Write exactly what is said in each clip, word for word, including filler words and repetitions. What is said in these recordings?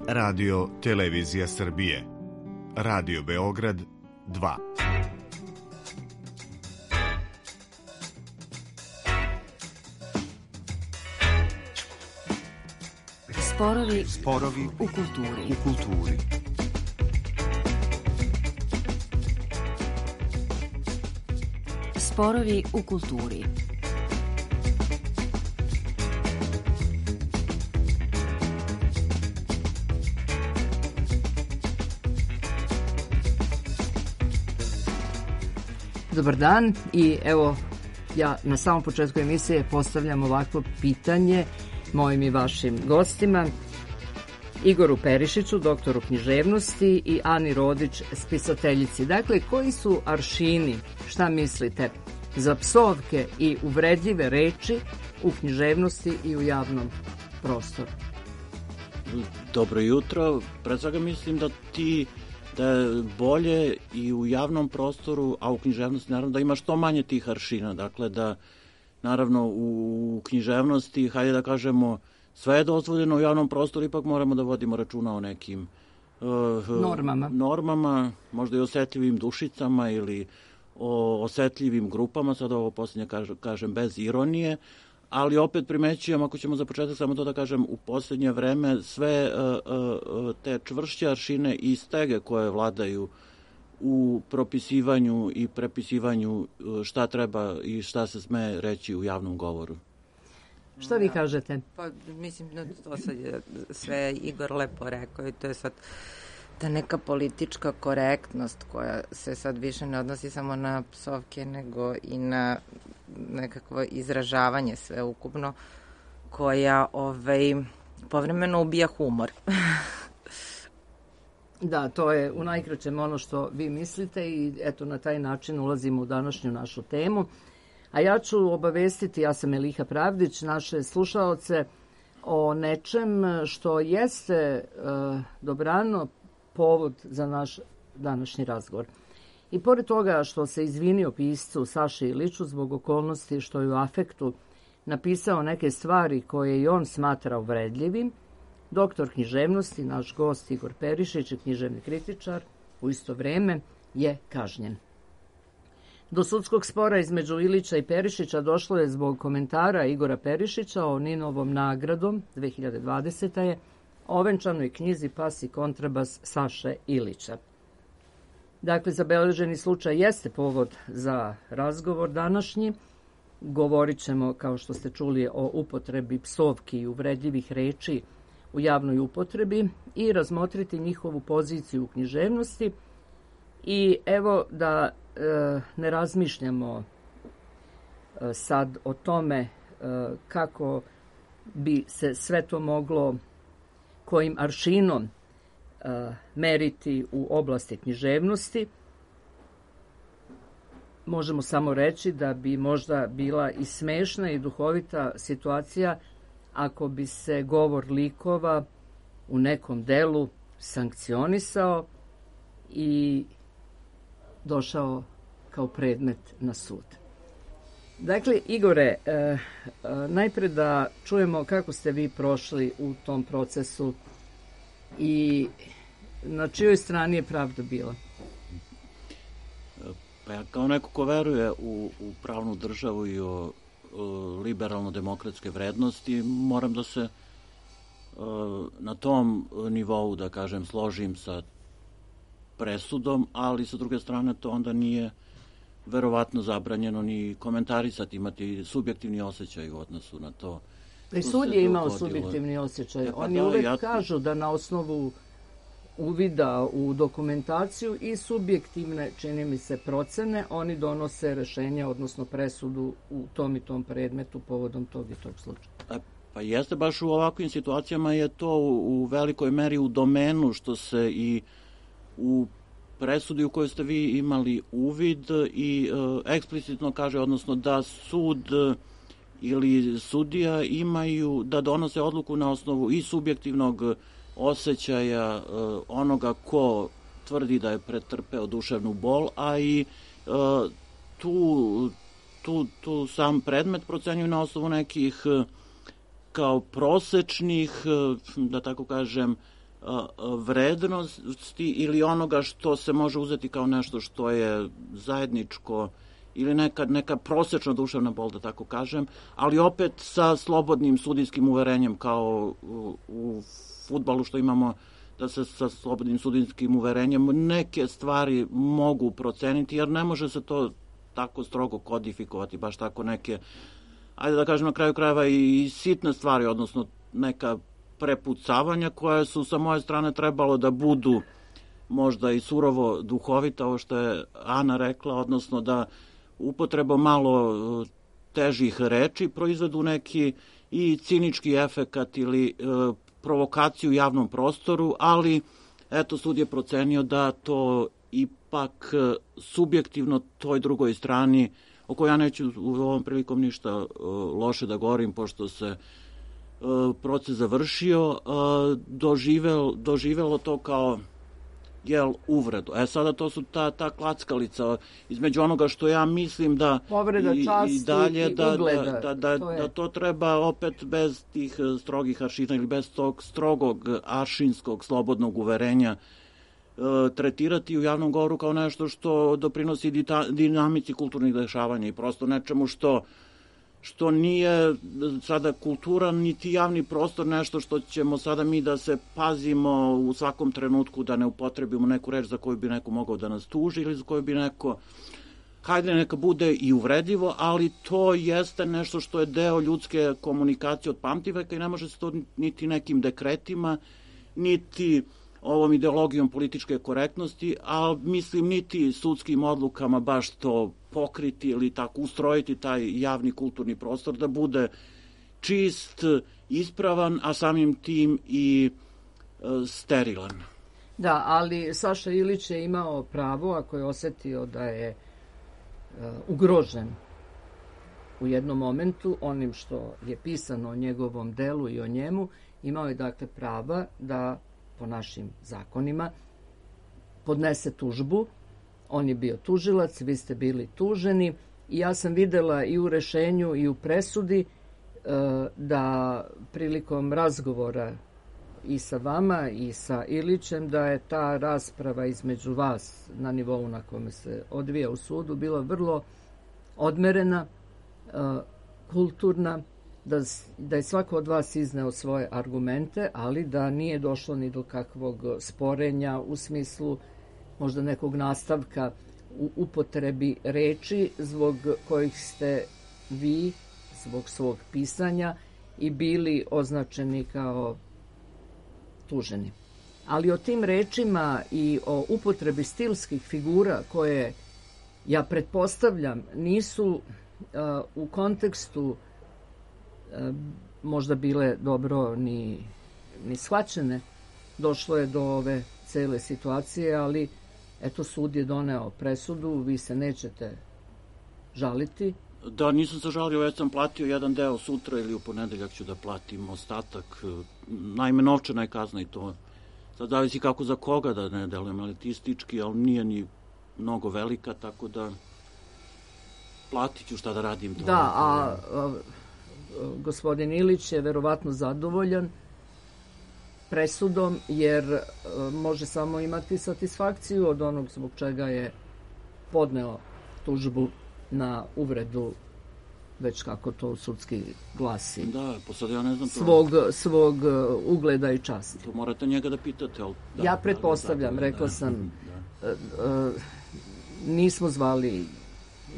Radio Televizija Srbije, Radio Beograd dva. Sporovi, Sporovi u kulturi. U kulturi. Sporovi u kulturi. Dobar dan i evo ja na samom početku emisije postavljam ovakvo pitanje mojim i vašim gostima, Igoru Perišiću, doktoru književnosti, i Ani Rodić, spisateljici. Dakle, koji su aršini, šta mislite, za psovke i uvredljive reči u književnosti i u javnom prostoru? Dobro jutro. Pre svega mislim da ti da je bolje i u javnom prostoru, a u književnosti naravno da ima što manje tih aršina. Dakle, da naravno u književnosti, hajde da kažemo, sve je dozvoljeno, u javnom prostoru ipak moramo da vodimo računa o nekim uh, normama. normama, možda i osetljivim dušicama ili o osetljivim grupama, sad ovo posljednje kažem bez ironije, ali opet primećujem, ako ćemo za početak samo to da kažem, u posljednje vreme sve uh, uh, te čvršće aršine i stege koje vladaju u propisivanju i prepisivanju šta treba i šta se sme reći u javnom govoru. Šta vi kažete? Pa, mislim, no, to sad je sve Igor lepo rekao i to je sad ta neka politička korektnost koja se sad više ne odnosi samo na psovke, nego i na nekakvo izražavanje sveukupno, koja ovaj, povremeno ubija humor. Da, to je u najkraćem ono što vi mislite i eto na taj način ulazimo u današnju našu temu. A ja ću obavestiti, ja sam Eliha Pravdić, naše slušaoce o nečem što jeste uh, dobrano povod za naš današnji razgovor. I pored toga što se izvinio piscu Saši Iliću zbog okolnosti što je u afektu napisao neke stvari koje i on smatra uvredljivim, doktor književnosti, naš gost Igor Perišić i književni kritičar, u isto vreme je kažnjen. Do sudskog spora između Ilića i Perišića došlo je zbog komentara Igora Perišića o Ninovom nagradom dve hiljade dvadesete. je ovenčanoj knjizi Pas i kontrabas Saše Ilića. Dakle, zabeleženi slučaj jeste povod za razgovor današnji. Govorit ćemo, kao što ste čuli, o upotrebi psovki i uvredljivih reči u javnoj upotrebi i razmotriti njihovu poziciju u književnosti. I evo da e, ne razmišljamo e, sad o tome e, kako bi se sve to moglo, kojim aršinom e, meriti u oblasti književnosti. Možemo samo reći da bi možda bila i smešna i duhovita situacija ako bi se govor likova u nekom delu sankcionisao i došao kao predmet na sud. Dakle, Igore, e, e, najpre da čujemo kako ste vi prošli u tom procesu i na čijoj strani je pravda bila? Pa ja kao neko ko veruje u, u pravnu državu i o, o liberalno-demokratske vrednosti, moram da se o, na tom nivou, da kažem, složim sa presudom, ali sa druge strane to onda nije verovatno zabranjeno ni komentarisati, imati subjektivni osjećaj u odnosu na to. I sud je imao subjektivni osjećaj. Pa Oni da, uvek ja... kažu da na osnovu uvida u dokumentaciju i subjektivne, čini mi se, procene, oni donose rešenja, odnosno presudu u tom i tom predmetu povodom tog i tog slučaja. A, pa jeste, baš u ovakvim situacijama je to u, u velikoj meri u domenu što se i u presudi u kojoj ste vi imali uvid i e, eksplicitno kaže, odnosno da sud e, ili sudija imaju da donose odluku na osnovu i subjektivnog osjećaja e, onoga ko tvrdi da je pretrpeo duševnu bol, a i e, tu, tu, tu sam predmet procenjuju na osnovu nekih e, kao prosečnih, e, da tako kažem, vrednosti ili onoga što se može uzeti kao nešto što je zajedničko ili neka, neka prosečna duševna bol, da tako kažem, ali opet sa slobodnim sudijskim uverenjem kao u, u fudbalu što imamo, da se sa slobodnim sudijskim uverenjem neke stvari mogu proceniti, jer ne može se to tako strogo kodifikovati, baš tako neke, ajde da kažem na kraju krajeva i sitne stvari, odnosno neka prepucavanja koje su sa moje strane trebalo da budu možda i surovo duhovita, ovo što je Ana rekla, odnosno da upotreba malo težih reči proizvedu neki i cinički efekat ili e, provokaciju u javnom prostoru, ali eto sud je procenio da to ipak subjektivno toj drugoj strani, o kojoj ja neću u ovom prilikom ništa e, loše da govorim, pošto se e, proces završio, e, doživel, doživelo to kao jel, uvredu. E sada to su ta, ta klackalica između onoga što ja mislim da povreda časti i, dalje, i da, ugleda. Da, da, da, to da to treba opet bez tih strogih aršina ili bez tog strogog aršinskog slobodnog uverenja e, tretirati u javnom govoru kao nešto što doprinosi dita, dinamici kulturnih dešavanja i prosto nečemu što što nije sada kultura, niti javni prostor nešto što ćemo sada mi da se pazimo u svakom trenutku da ne upotrebimo neku reč za koju bi neko mogao da nas tuži ili za koju bi neko, hajde neka bude i uvredljivo, ali to jeste nešto što je deo ljudske komunikacije od pamtiveka i ne može se to niti nekim dekretima, niti ovom ideologijom političke korektnosti, a mislim niti sudskim odlukama baš to pokriti ili tako ustrojiti taj javni kulturni prostor da bude čist, ispravan, a samim tim i e, sterilan. Da, ali Saša Ilić je imao pravo, ako je osetio da je e, ugrožen u jednom momentu onim što je pisano o njegovom delu i o njemu, imao je dakle prava da po našim zakonima podnese tužbu. On je bio tužilac, vi ste bili tuženi i ja sam videla i u rešenju i u presudi da prilikom razgovora i sa vama i sa Ilićem da je ta rasprava između vas na nivou na kome se odvija u sudu bila vrlo odmerena, kulturna, da, da je svako od vas izneo svoje argumente, ali da nije došlo ni do kakvog sporenja u smislu možda nekog nastavka u upotrebi reči zbog kojih ste vi, zbog svog pisanja, i bili označeni kao tuženi. Ali o tim rečima i o upotrebi stilskih figura koje, ja pretpostavljam, nisu uh, u kontekstu uh, možda bile dobro ni, ni shvaćene, došlo je do ove cele situacije, ali eto, sud je doneo presudu, vi se nećete žaliti. Da, nisam se žalio, već sam platio jedan deo sutra ili u ponedeljak ću da platim ostatak. Naime, novčana je kazna i to. Sad zavisi kako za koga, da ne delujem elitistički, ali nije ni mnogo velika, tako da platit ću šta da radim. To da, a, a gospodin Ilić je verovatno zadovoljan presudom, jer a, može samo imati satisfakciju od onog zbog čega je podneo tužbu na uvredu, već kako to sudski glasi. Da, posad ja ne znam to. Svog, svog ugleda i časti. To morate njega da pitate. Ali, da, ja pretpostavljam, da, da, rekla da, sam, da. Uh, nismo zvali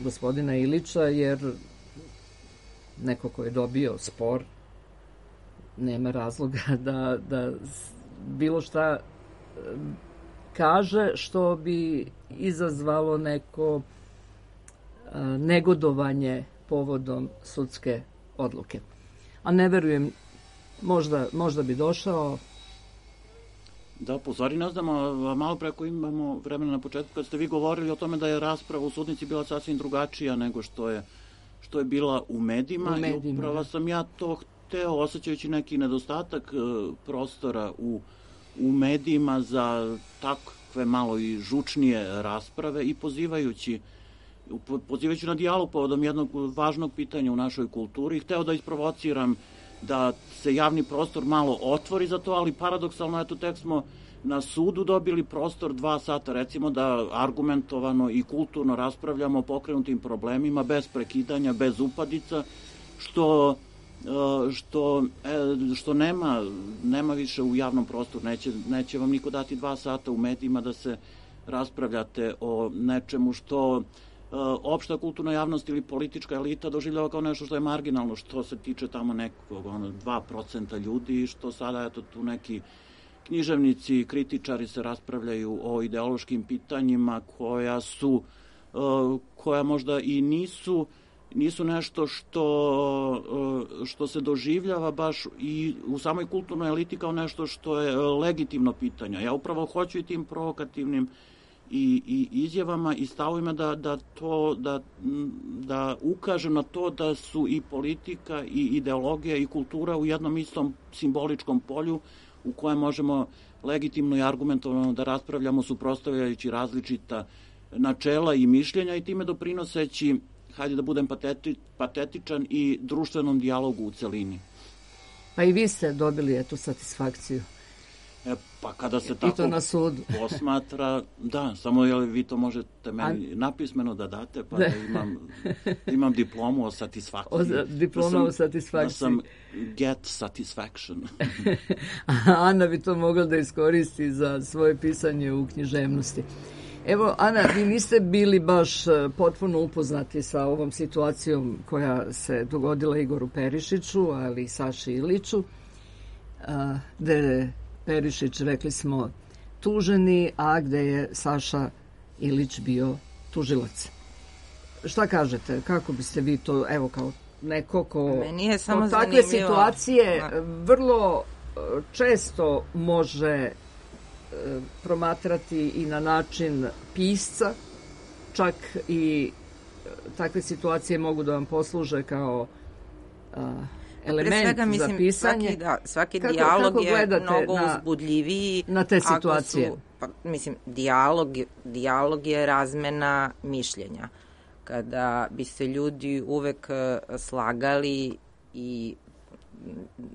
gospodina Ilića, jer neko ko je dobio spor nema razloga da, da bilo šta kaže što bi izazvalo neko negodovanje povodom sudske odluke. A ne verujem, možda, možda bi došao. Da, po stvari ne znam, a malo preko imamo vremena na početku, kad ste vi govorili o tome da je rasprava u sudnici bila sasvim drugačija nego što je, što je bila u medijima. U medijima, i upravo sam ja to hteo, osjećajući neki nedostatak e, prostora u, u medijima za takve malo i žučnije rasprave i pozivajući pozivajući na dijalog povodom jednog važnog pitanja u našoj kulturi, hteo da isprovociram da se javni prostor malo otvori za to, ali paradoksalno, eto, tek smo na sudu dobili prostor dva sata, recimo, da argumentovano i kulturno raspravljamo o pokrenutim problemima, bez prekidanja, bez upadica, što, što, što nema, nema više u javnom prostoru. Neće, neće vam niko dati dva sata u medijima da se raspravljate o nečemu što opšta kulturna javnost ili politička elita doživljava kao nešto što je marginalno, što se tiče tamo nekog ono, dva procenta ljudi, što sada eto tu neki književnici, kritičari se raspravljaju o ideološkim pitanjima koja su, koja možda i nisu, nisu nešto što, što se doživljava baš i u samoj kulturnoj eliti kao nešto što je legitimno pitanje. Ja upravo hoću i tim provokativnim i, i izjavama i stavovima da, da, to, da, da ukažem na to da su i politika i ideologija i kultura u jednom istom simboličkom polju u kojem možemo legitimno i argumentovano da raspravljamo suprotstavljajući različita načela i mišljenja i time doprinoseći, hajde da budem pateti, patetičan, i društvenom dijalogu u celini. Pa i vi ste dobili etu satisfakciju. E, pa kada se tako na sudu. posmatra, da, samo je li vi to možete meni napismeno da date, pa da imam, imam diplomu o satisfakciji. O, diploma da sam, o satisfakciji. Da sam get satisfaction. Ana bi to mogla da iskoristi za svoje pisanje u književnosti. Evo, Ana, vi niste bili baš potpuno upoznati sa ovom situacijom koja se dogodila Igoru Perišiću, ali i Saši Iliću, gde je Perišić, rekli smo, tuženi, a gde je Saša Ilić bio tužilac. Šta kažete? Kako biste vi to, evo, kao neko ko Meni je samo takve zanimljivo. situacije vrlo često može promatrati i na način pisca, čak i takve situacije mogu da vam posluže kao a, element svega, mislim, za pisanje. Svaki, da, svaki kako, dijalog kako je mnogo na, uzbudljiviji. Na te situacije. Su, pa, mislim, dijalog, dijalog je razmena mišljenja. Kada bi se ljudi uvek slagali i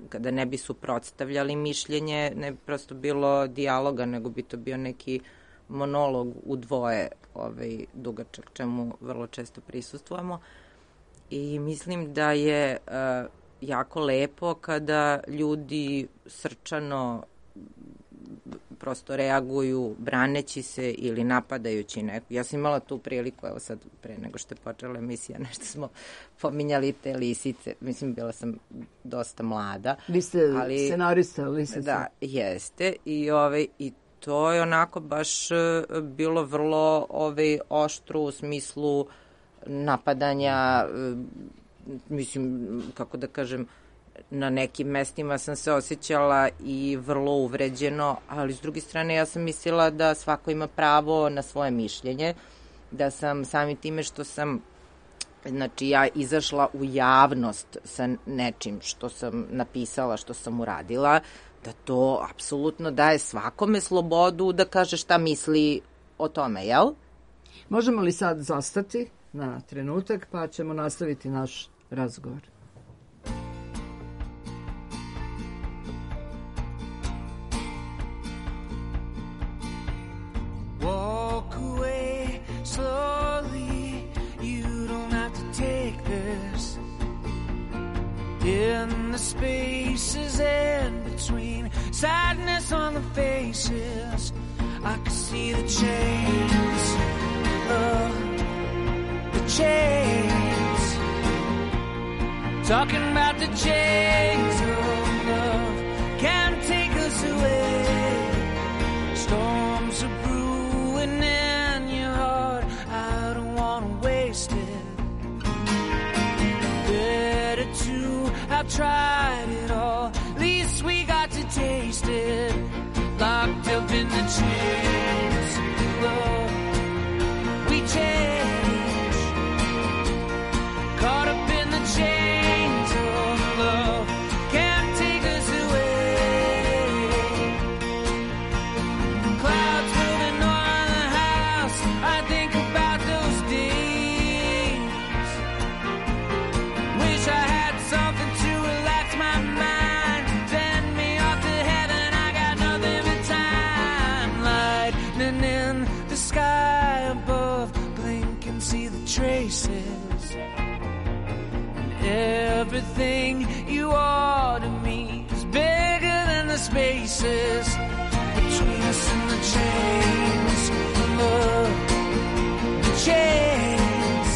kada ne bi suprotstavljali mišljenje, ne bi prosto bilo dijaloga, nego bi to bio neki monolog u dvoje, ovaj, dugačak, čemu vrlo često prisustvujemo. I mislim da je uh, jako lepo kada ljudi srčano prosto reaguju braneći se ili napadajući neko. Ja sam imala tu priliku, evo sad pre nego što je počela emisija, nešto smo pominjali te lisice. Mislim, bila sam dosta mlada. Vi ste ali, scenarista lisice. Da, jeste. I, ovaj, i to je onako baš bilo vrlo ovaj, oštro u smislu napadanja, mislim, kako da kažem, na nekim mestima sam se osjećala i vrlo uvređeno, ali s druge strane ja sam mislila da svako ima pravo na svoje mišljenje, da sam samim time što sam, znači ja izašla u javnost sa nečim što sam napisala, što sam uradila, da to apsolutno daje svakome slobodu da kaže šta misli o tome, jel? Možemo li sad zastati na trenutak, pa ćemo nastaviti naš razgovor. Walk away slowly, you don't have to take this. In the spaces in between, sadness on the faces, I can see the chains, uh, the chains, talking about the chains of love, can't take us away, storms are brewing in your heart, I don't want to waste it, better to have tried it all, at least we got to taste it, locked up in the chains of love, we change, caught up in the chains of love, can't take us away, clouds moving on the house, I think about those days, wish I had something to relax my traces. And everything you are to me is bigger than the spaces between us and the chains of love. The chains,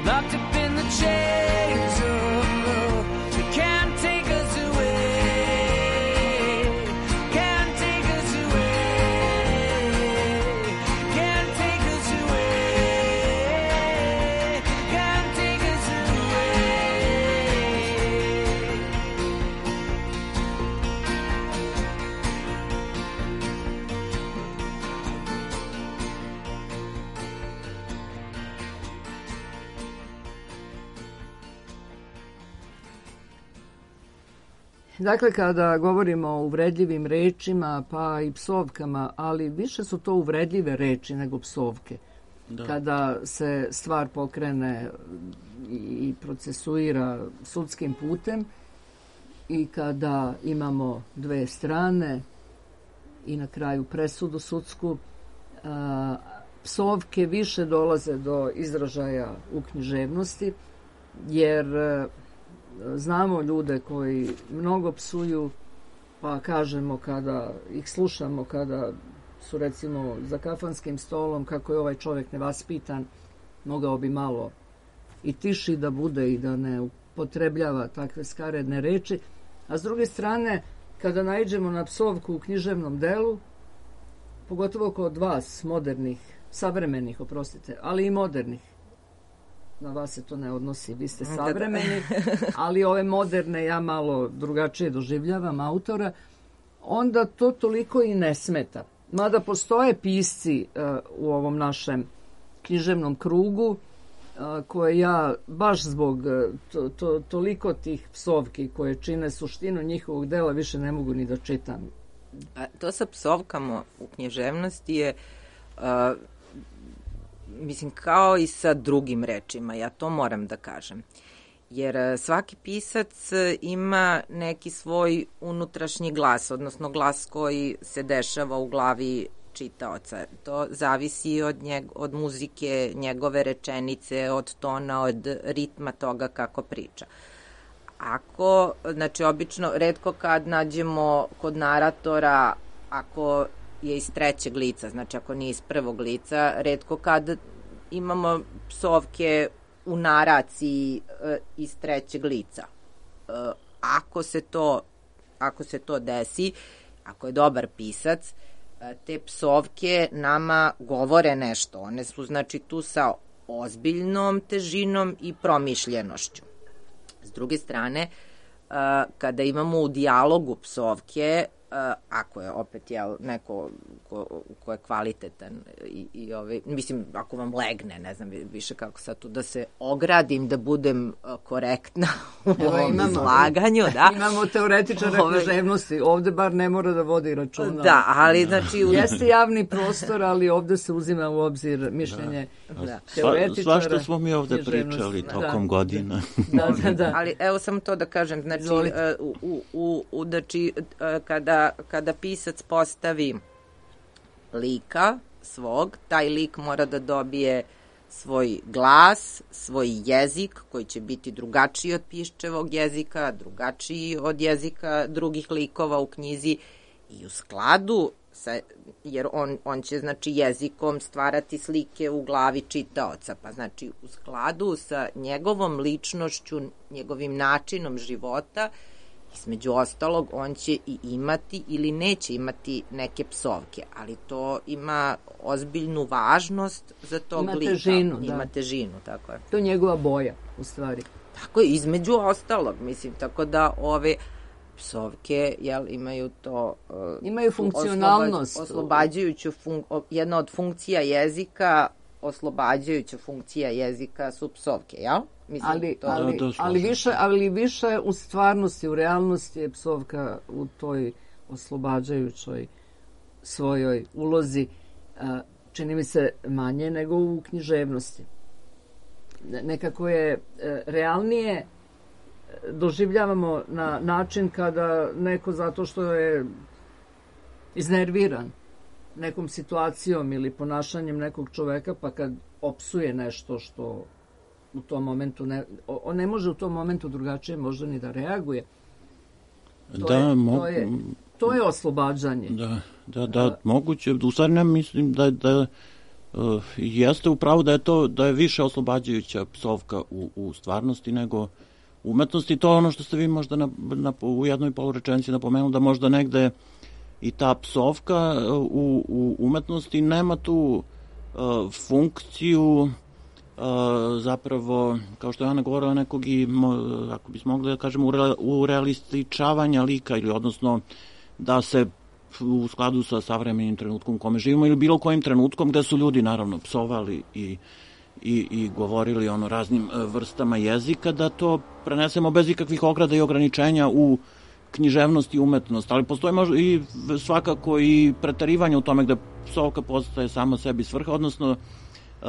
locked up in the chains of love. They can't take us away, can't take us away, can't take us away, can't take us Dakle, kada govorimo o uvredljivim rečima, pa i psovkama, ali više su to uvredljive reči nego psovke. Da. Kada se stvar pokrene i procesuira sudskim putem i kada imamo dve strane i na kraju presudu sudsku, a, psovke više dolaze do izražaja u književnosti, jer znamo ljude koji mnogo psuju, pa kažemo kada ih slušamo, kada su recimo za kafanskim stolom, kako je ovaj čovjek nevaspitan, mogao bi malo i tiši da bude i da ne upotrebljava takve skaredne reči. A s druge strane, kada naiđemo na psovku u književnom delu, pogotovo kod vas, modernih, savremenih, oprostite, ali i modernih, na vas se to ne odnosi, vi ste savremeni, ali ove moderne ja malo drugačije doživljavam autora, onda to toliko i ne smeta. Mada postoje pisci uh, u ovom našem književnom krugu uh, koje ja baš zbog uh, to, to, toliko tih psovki koje čine suštinu njihovog dela više ne mogu ni da čitam. A to sa psovkama u književnosti je uh, mislim, kao i sa drugim rečima, ja to moram da kažem. Jer svaki pisac ima neki svoj unutrašnji glas, odnosno glas koji se dešava u glavi čitaoca. To zavisi od, njeg, od muzike, njegove rečenice, od tona, od ritma toga kako priča. Ako, znači, obično, retko kad nađemo kod naratora, ako je iz trećeg lica, znači ako nije iz prvog lica, retko kad imamo psovke u naraciji e, iz trećeg lica. E, ako se to ako se to desi, ako je dobar pisac, e, te psovke nama govore nešto. One su znači tu sa ozbiljnom težinom i promišljenošću. S druge strane, e, kada imamo u dijalogu psovke, Uh, ako je opet jel, neko ko, ko je kvalitetan i, i ovaj, mislim, ako vam legne, ne znam više kako sad tu da se ogradim, da budem uh, korektna u ovom imamo, izlaganju. Da. Imamo teoretičara Ove... književnosti, ovde bar ne mora da vodi računa. Da, ali znači... U... Jeste javni prostor, ali ovde se uzima u obzir mišljenje da. Da. teoretičara. Sva, svašta smo mi ovde pričali tokom da. godina. Da, da, da. Ali evo samo to da kažem, znači, uh, u, u, u, znači uh, kada kada pisac postavi lika svog, taj lik mora da dobije svoj glas, svoj jezik koji će biti drugačiji od piščevog jezika, drugačiji od jezika drugih likova u knjizi i u skladu sa, jer on, on će znači jezikom stvarati slike u glavi čitaoca, pa znači u skladu sa njegovom ličnošću, njegovim načinom života. Između ostalog, on će i imati ili neće imati neke psovke, ali to ima ozbiljnu važnost za tog ima lika. Težinu, ima da. težinu, tako je. To je njegova boja, u stvari. Tako je, između ostalog, mislim, tako da ove psovke, jel, imaju to... Uh, imaju funkcionalnost. Oslobađajuću, fun, jedna od funkcija jezika, oslobađajuća funkcija jezika su psovke, jel? Mislim, ali, to... ali, ali, više, ali više u stvarnosti, u realnosti je psovka u toj oslobađajućoj svojoj ulozi, čini mi se manje nego u književnosti. Nekako je realnije doživljavamo na način kada neko zato što je iznerviran nekom situacijom ili ponašanjem nekog čoveka, pa kad opsuje nešto što u tom momentu ne, on ne može u tom momentu drugačije možda ni da reaguje. To, da, je, mo... to, je, to je oslobađanje. Da, da, da, A... moguće. U stvari ne mislim da, da uh, jeste upravo da je to da je više oslobađajuća psovka u, u stvarnosti nego umetnosti. To je ono što ste vi možda na, na, u jednoj polurečenici napomenuli, da možda negde i ta psovka u, u umetnosti nema tu uh, funkciju Uh, zapravo, kao što je Ana govorila, nekog i, ako bismo mogli da kažemo, u realističavanja lika, ili odnosno da se u skladu sa savremenim trenutkom u kome živimo ili bilo kojim trenutkom gde su ljudi naravno psovali i, i, i govorili ono raznim vrstama jezika, da to prenesemo bez ikakvih ograda i ograničenja u književnost i umetnost, ali postoji možda i svakako i preterivanje u tome gde psovka postaje sama sebi svrha, odnosno uh,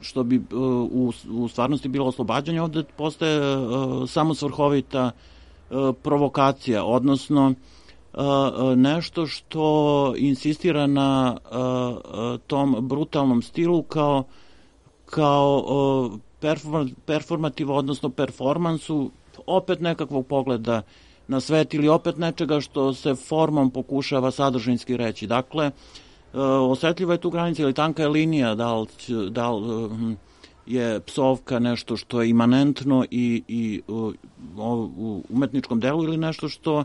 što bi u, u stvarnosti bilo oslobađanje, ovde postaje uh, samo svrhovita uh, provokacija, odnosno uh, nešto što insistira na uh, tom brutalnom stilu kao, kao uh, perform, performativo, odnosno performansu, opet nekakvog pogleda na svet ili opet nečega što se formom pokušava sadržinski reći. Dakle, Uh, osetljiva je tu granica ili tanka je linija, da li, da li uh, je psovka nešto što je imanentno i, i uh, u umetničkom delu ili nešto što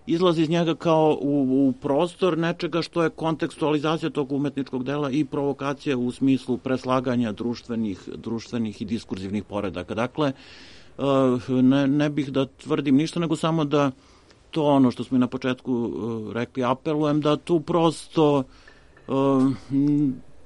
izlazi iz njega kao u, u prostor nečega što je kontekstualizacija tog umetničkog dela i provokacija u smislu preslaganja društvenih, društvenih i diskurzivnih poredaka. Dakle, uh, ne, ne bih da tvrdim ništa, nego samo da to ono što smo i na početku uh, rekli, apelujem da tu prosto Uh,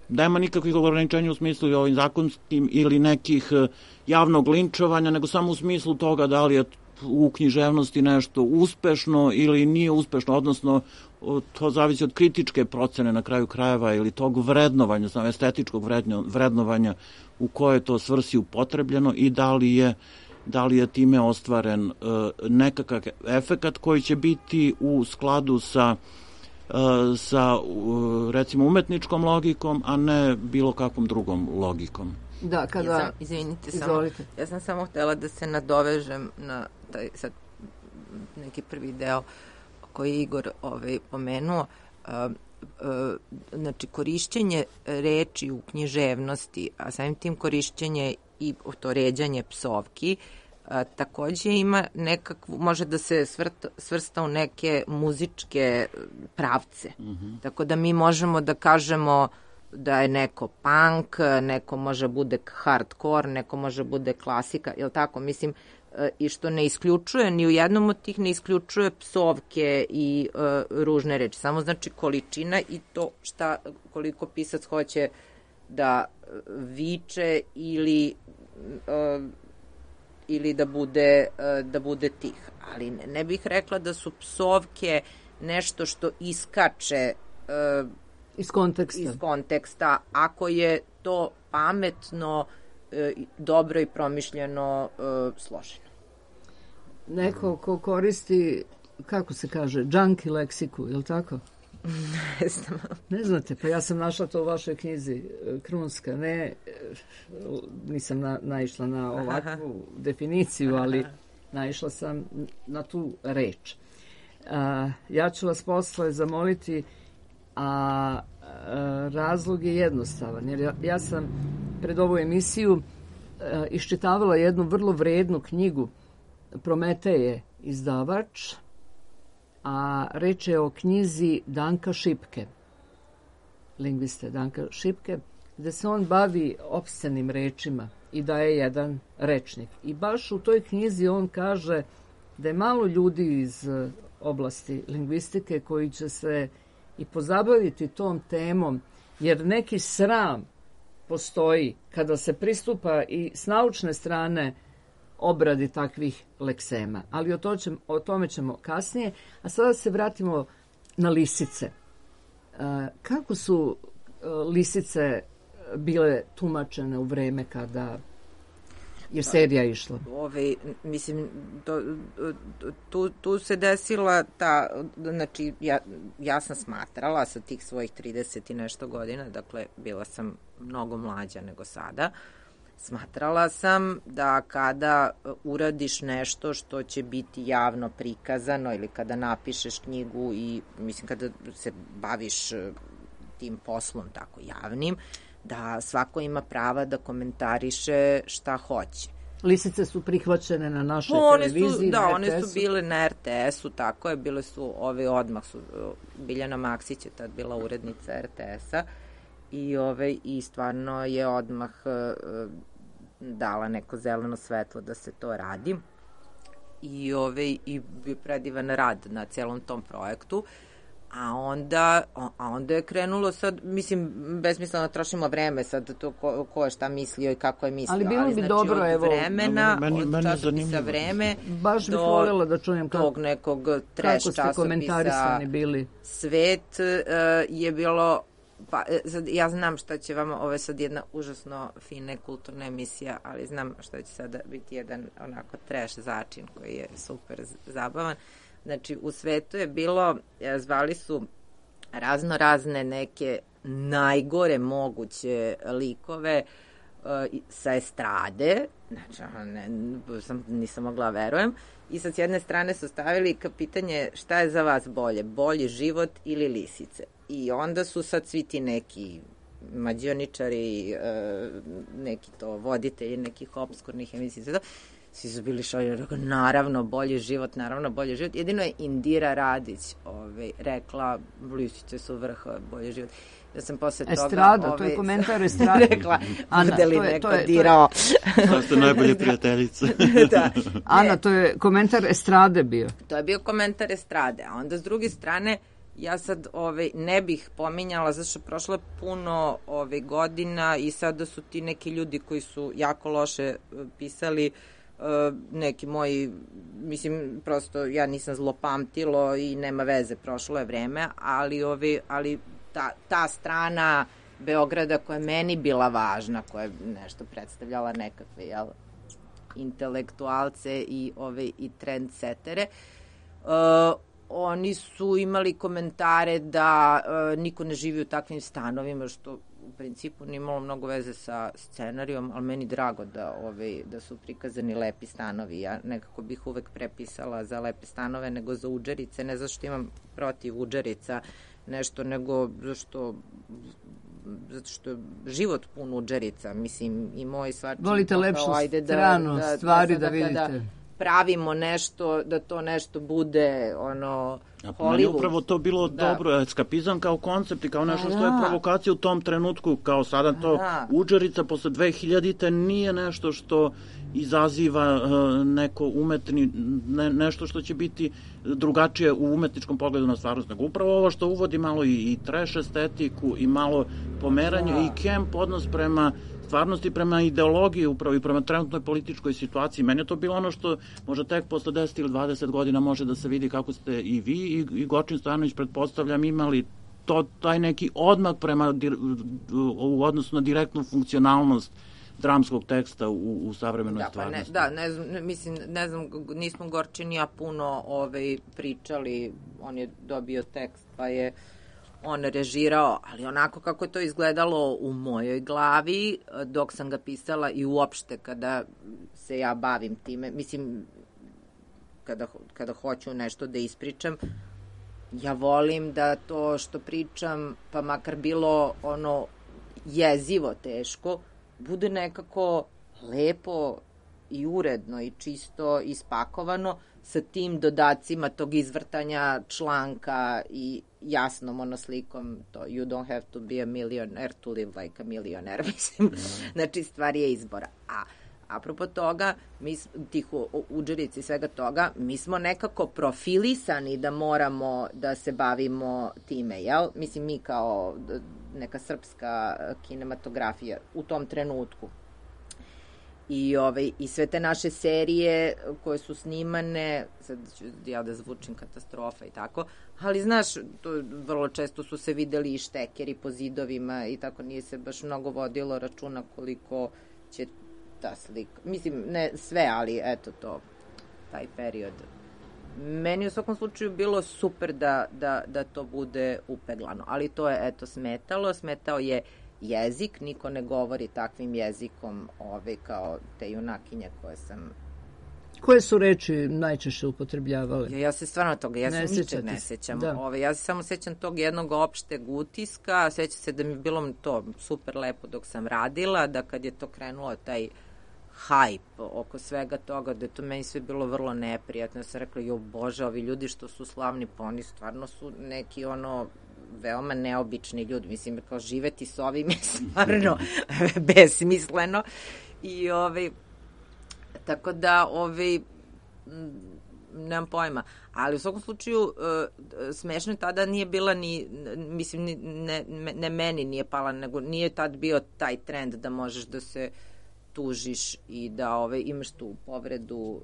nema nikakvih ograničenja u smislu i ovim zakonskim ili nekih uh, javnog linčovanja, nego samo u smislu toga da li je u književnosti nešto uspešno ili nije uspešno, odnosno uh, to zavisi od kritičke procene na kraju krajeva ili tog vrednovanja, samo estetičkog vrednovanja u kojoj to svrsi upotrebljeno i da li je da li je time ostvaren uh, nekakav efekat koji će biti u skladu sa sa recimo umetničkom logikom, a ne bilo kakvom drugom logikom. Da, kada... Ja sam, izvinite, samo, ja sam samo htela da se nadovežem na taj sad neki prvi deo koji je Igor ovaj, pomenuo. Uh, uh, znači, korišćenje reči u književnosti, a samim tim korišćenje i to ređanje psovki, A, takođe ima nekakvu, može da se svrta, svrsta u neke muzičke pravce. Mm-hmm. Tako da mi možemo da kažemo da je neko punk, neko može bude hardcore, neko može bude klasika, je li tako? Mislim, i što ne isključuje, ni u jednom od tih ne isključuje psovke i uh, ružne reči. Samo znači količina i to šta, koliko pisac hoće da viče ili... Uh, ili da bude, da bude tih. Ali ne, ne bih rekla da su psovke nešto što iskače uh, iz konteksta. iz konteksta, ako je to pametno, uh, dobro i promišljeno uh, složeno. Neko ko koristi, kako se kaže, junkie leksiku, je li tako? Ne znam. Ne znate, pa ja sam našla to u vašoj knjizi Krunska, ne, nisam na, naišla na ovakvu Aha. definiciju, ali Aha. naišla sam na tu reč. A, ja ću vas posle zamoliti, a, a razlog je jednostavan, jer ja, ja sam pred ovu emisiju a, iščitavala jednu vrlo vrednu knjigu, Prometeje izdavač, a reč je o knjizi Danka Šipke, lingviste Danka Šipke, gde se on bavi opscenim rečima i daje jedan rečnik. I baš u toj knjizi on kaže da je malo ljudi iz oblasti lingvistike koji će se i pozabaviti tom temom, jer neki sram postoji kada se pristupa i s naučne strane obradi takvih leksema. Ali o, to ćemo, o tome ćemo kasnije. A sada se vratimo na lisice. E, kako su e, lisice bile tumačene u vreme kada Jer serija je išla. Ove, mislim, to, tu, tu se desila ta, znači, ja, ja sam smatrala sa tih svojih trideset i nešto godina, dakle, bila sam mnogo mlađa nego sada, smatrala sam da kada uradiš nešto što će biti javno prikazano ili kada napišeš knjigu i, mislim, kada se baviš tim poslom tako javnim, da svako ima prava da komentariše šta hoće. Lisice su prihvaćene na našoj one televiziji, su, da, na one er te esu. su bile na er te esu, tako je, bile su ove odmah su, Biljana Maksić je tad bila urednica er te esa i, ove, i stvarno je odmah uh, dala neko zeleno svetlo da se to radi i, ove, i bio predivan rad na celom tom projektu. A onda, a onda je krenulo sad, mislim, besmisleno trošimo vreme sad to ko, ko je šta mislio i kako je mislio. Ali bilo bi znači, dobro, od evo, vremena, meni, od meni časopisa vreme, baš bih voljela da čujem kako, tog nekog trash kako ste komentarisani bili. Svet uh, je bilo, pa sad, ja znam šta će vama, ovo je sad jedna užasno fina kulturna emisija, ali znam šta će sada biti jedan onako trash začin koji je super zabavan. Znači, u svetu je bilo, zvali su razno razne neke najgore moguće likove uh, sa estrade, znači, ne, sam, nisam mogla verujem, i sad s jedne strane su stavili ka pitanje šta je za vas bolje, bolji život ili lisice. I onda su sad svi ti neki mađioničari, uh, neki to voditelji nekih obskurnih emisija, svi su bili šoljeni, naravno bolji život, naravno bolji život. Jedino je Indira Radić ovaj, rekla, lisice su vrh, bolji život. Ja sam posle toga... Estrada, ovaj, to je komentar estrade. rekla, Ana, bude li to je, neko to je, dirao. To ste najbolje prijateljice. Da. Ana, to je komentar estrade bio. To je bio komentar estrade, a onda s druge strane, ja sad ovaj, ne bih pominjala, zato što prošlo puno ovaj, godina i sada su ti neki ljudi koji su jako loše pisali, Uh, neki moji, mislim, prosto ja nisam zlopamtilo i nema veze, prošlo je vreme, ali, ovi, ali ta, ta strana Beograda koja je meni bila važna, koja je nešto predstavljala nekakve, jel, intelektualce i, ove, i trendsetere, uh, oni su imali komentare da uh, niko ne živi u takvim stanovima, što u principu nije imalo mnogo veze sa scenarijom, ali meni drago da, ove, da su prikazani lepi stanovi. Ja nekako bih uvek prepisala za lepe stanove nego za udžerice, ne zašto imam protiv udžerica nešto, nego zašto zato što je život pun udžerica, mislim, i moj svačin... Volite lepšu stranu da, stvari da, da, da vidite. Da pravimo nešto, da to nešto bude ono Hollywood. Meni je upravo to bilo da. dobro, eskapizam kao koncept i kao nešto što je provokacija u tom trenutku, kao sada to da. Udžerica posle dve hiljadite nije nešto što izaziva uh, neko umetni, ne, nešto što će biti drugačije u umetničkom pogledu na stvarnost, nego upravo ovo što uvodi malo i, i trash estetiku i malo pomeranje da. I camp odnos prema stvarnosti, prema ideologiji upravo i prema trenutnoj političkoj situaciji. Meni je to bilo ono što možda tek posle deset ili dvadeset godina može da se vidi kako ste i vi i, i Gočin Stojanović, pretpostavljam, imali to, taj neki odmak prema u odnosu na direktnu funkcionalnost dramskog teksta u, u savremenoj da, stvarnosti. Pa ne, da, ne znam, ne, mislim, ne znam, nismo Gorčin i ja puno ovaj, pričali, on je dobio tekst, pa je on režirao, ali onako kako je to izgledalo u mojoj glavi dok sam ga pisala i uopšte kada se ja bavim time, mislim, kada, kada hoću nešto da ispričam, ja volim da to što pričam, pa makar bilo ono jezivo teško, bude nekako lepo i uredno i čisto ispakovano sa tim dodacima tog izvrtanja članka i jasnom onoslikom to you don't have to be a millionaire to live like a millionaire, mislim. Mm. Znači, stvar je izbora. A apropo toga, mi, tih udžerici i svega toga, mi smo nekako profilisani da moramo da se bavimo time, jel? Mislim, mi kao neka srpska kinematografija u tom trenutku. I, ovaj, i sve te naše serije koje su snimane, sad ću ja da zvučim katastrofa i tako, ali znaš, to, vrlo često su se videli i štekeri po zidovima i tako, nije se baš mnogo vodilo računa koliko će ta slika. Mislim, ne sve, ali eto to, taj period. Meni u svakom slučaju bilo super da, da, da to bude upeglano, ali to je, eto, smetalo. Smetao je jezik, niko ne govori takvim jezikom ove, kao te junakinje koje sam... Koje su reči najčešće upotrebljavale? Ja, ja se stvarno toga, ja se ničeg ne sećam. Ove, ja se samo sećam tog jednog opšteg utiska, sećam se da mi je bilo to super lepo dok sam radila, da kad je to krenulo, taj hype oko svega toga, da je to meni sve bilo vrlo neprijatno. Ja sam rekla, jo bože, ovi ljudi što su slavni, pa oni stvarno su neki ono veoma neobični ljudi. Mislim, kao živeti s ovim je stvarno besmisleno. I ovaj, tako da, ovaj, nemam pojma. Ali u svakom slučaju, smešno tada nije bila ni, mislim, ne, ne meni nije pala, nego nije tad bio taj trend da možeš da se tužiš i da ove, imaš tu povredu uh,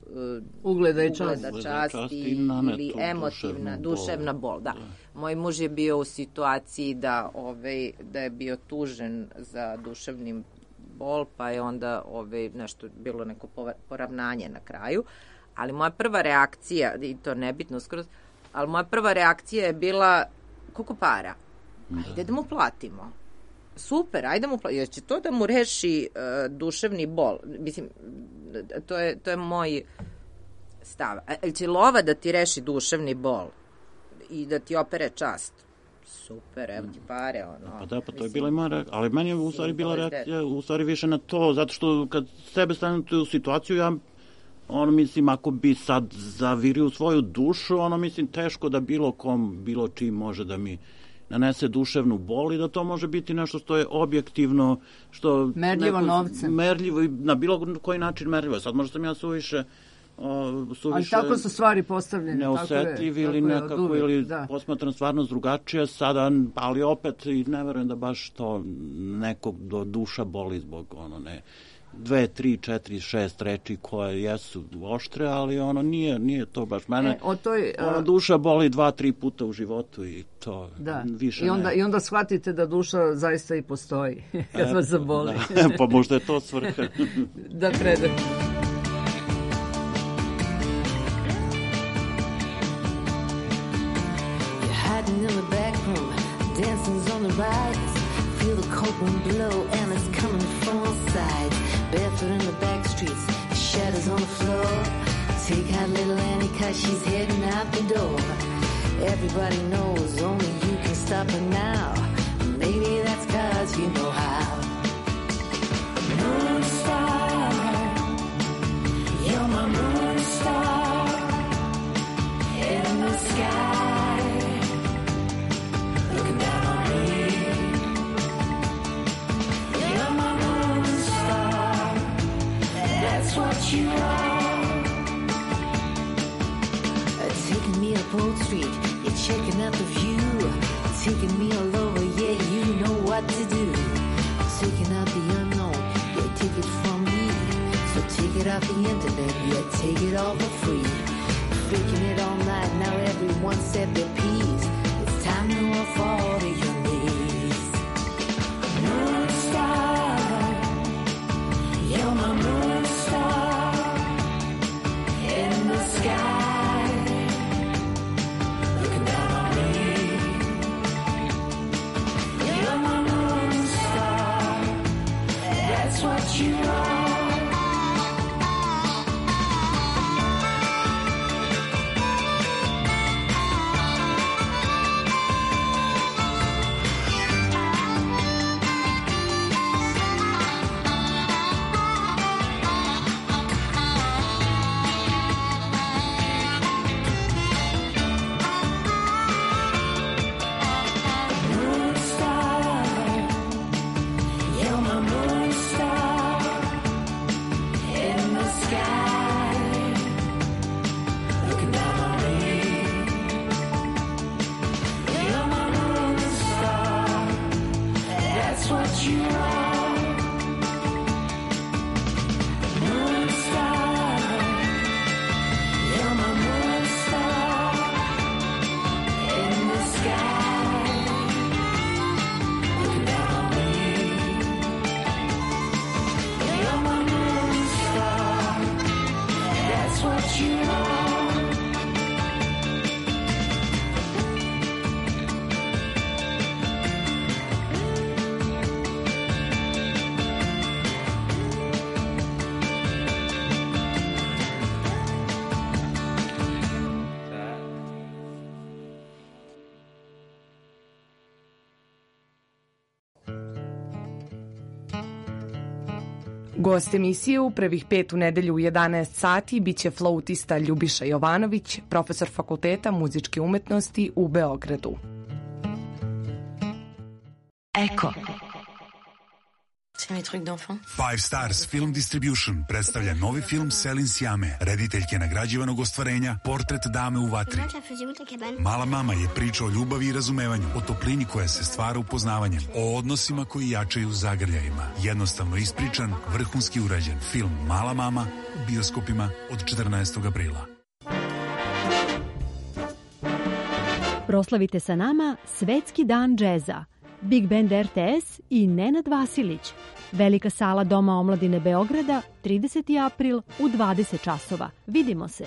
ugleda i časti, časti ili emotivna, duševna bol. Da. Moj muž je bio u situaciji da, ove, da je bio tužen za duševnim bol, pa je onda ove, nešto bilo neko poravnanje na kraju. Ali moja prva reakcija, i to nebitno skroz, ali moja prva reakcija je bila koliko para? Ajde da mu platimo. Super, ajde mu platimo. Jer će to da mu reši uh, duševni bol. Mislim, to je, to je moj stav. Ili će lova da ti reši duševni bol i da ti opere čast? Super, evo ti pare, ono. Pa da, pa to je bila moja reakcija, ali meni je u stvari bila reakcija, u stvari više na to, zato što kad sebe stavim u situaciju, ja ono, mislim, ako bi sad zavirio svoju dušu, ono, mislim, teško da bilo kom, bilo čim može da mi nanese duševnu bol i da to može biti nešto što je objektivno, što... Merljivo neko, novcem. Merljivo, na bilo koji način merljivo. Sad možda sam ja suviše... O, suviše ali tako su stvari postavljene. Neosetljiv ili nekako, uvijek, ili da. Posmatram stvarno drugačije sada, ali opet i ne verujem da baš to nekog do duša boli zbog ono, ne... dve, tri, četiri, šest reči koje jesu oštre, ali ono nije, nije to baš mene. E, o toj, ona uh, duša boli dva, tri puta u životu i to da. Više I onda, ne. I onda shvatite da duša zaista i postoji kad e, vas zaboli. Da. Pa možda je to svrha. Da predam. You're hiding in the back room, dancing's on the rise. Feel the cold wind blow and it's coming from all sides. Barefoot in the back streets, shadows on the floor. Take out little Annie cause she's heading out the door. Everybody knows only you can stop her now. Maybe that's cause you know how. Moon star, you're my moon star. In the sky, looking down on me. You're my moon star. That's what you are. Uh, taking me up Old Street, you're checking out the view. Taking me all over, yeah, you know what to do. Taking out the unknown, yeah, take it from me. So take it off the internet, yeah, take it all for free. Freaking it all night, now everyone said their piece. It's time to fall to your knees. Moon star, you're my moon star. In the sky, looking down on me. You're my moon star. That's what you are. Gost emisije u prvih pet u nedelju u jedanaest sati biće flautista Ljubiša Jovanović, profesor Fakulteta muzičke umetnosti u Beogradu. Eko. Five Stars Film Distribution predstavlja novi film Selin Sjame, rediteljke nagrađivanog ostvarenja Portret dame u vatri. Mala mama je priča o ljubavi i razumevanju, o toplini koja se stvara upoznavanjem, o odnosima koji jačaju zagrljajima. Jednostavno ispričan, vrhunski urađen film Mala mama u bioskopima od četrnaestog aprila. Proslavite sa nama Svetski dan džeza. Big Band R T S i Nenad Vasilić. Velika sala Doma omladine Beograda, trideseti april u dvadeset časova. Vidimo se.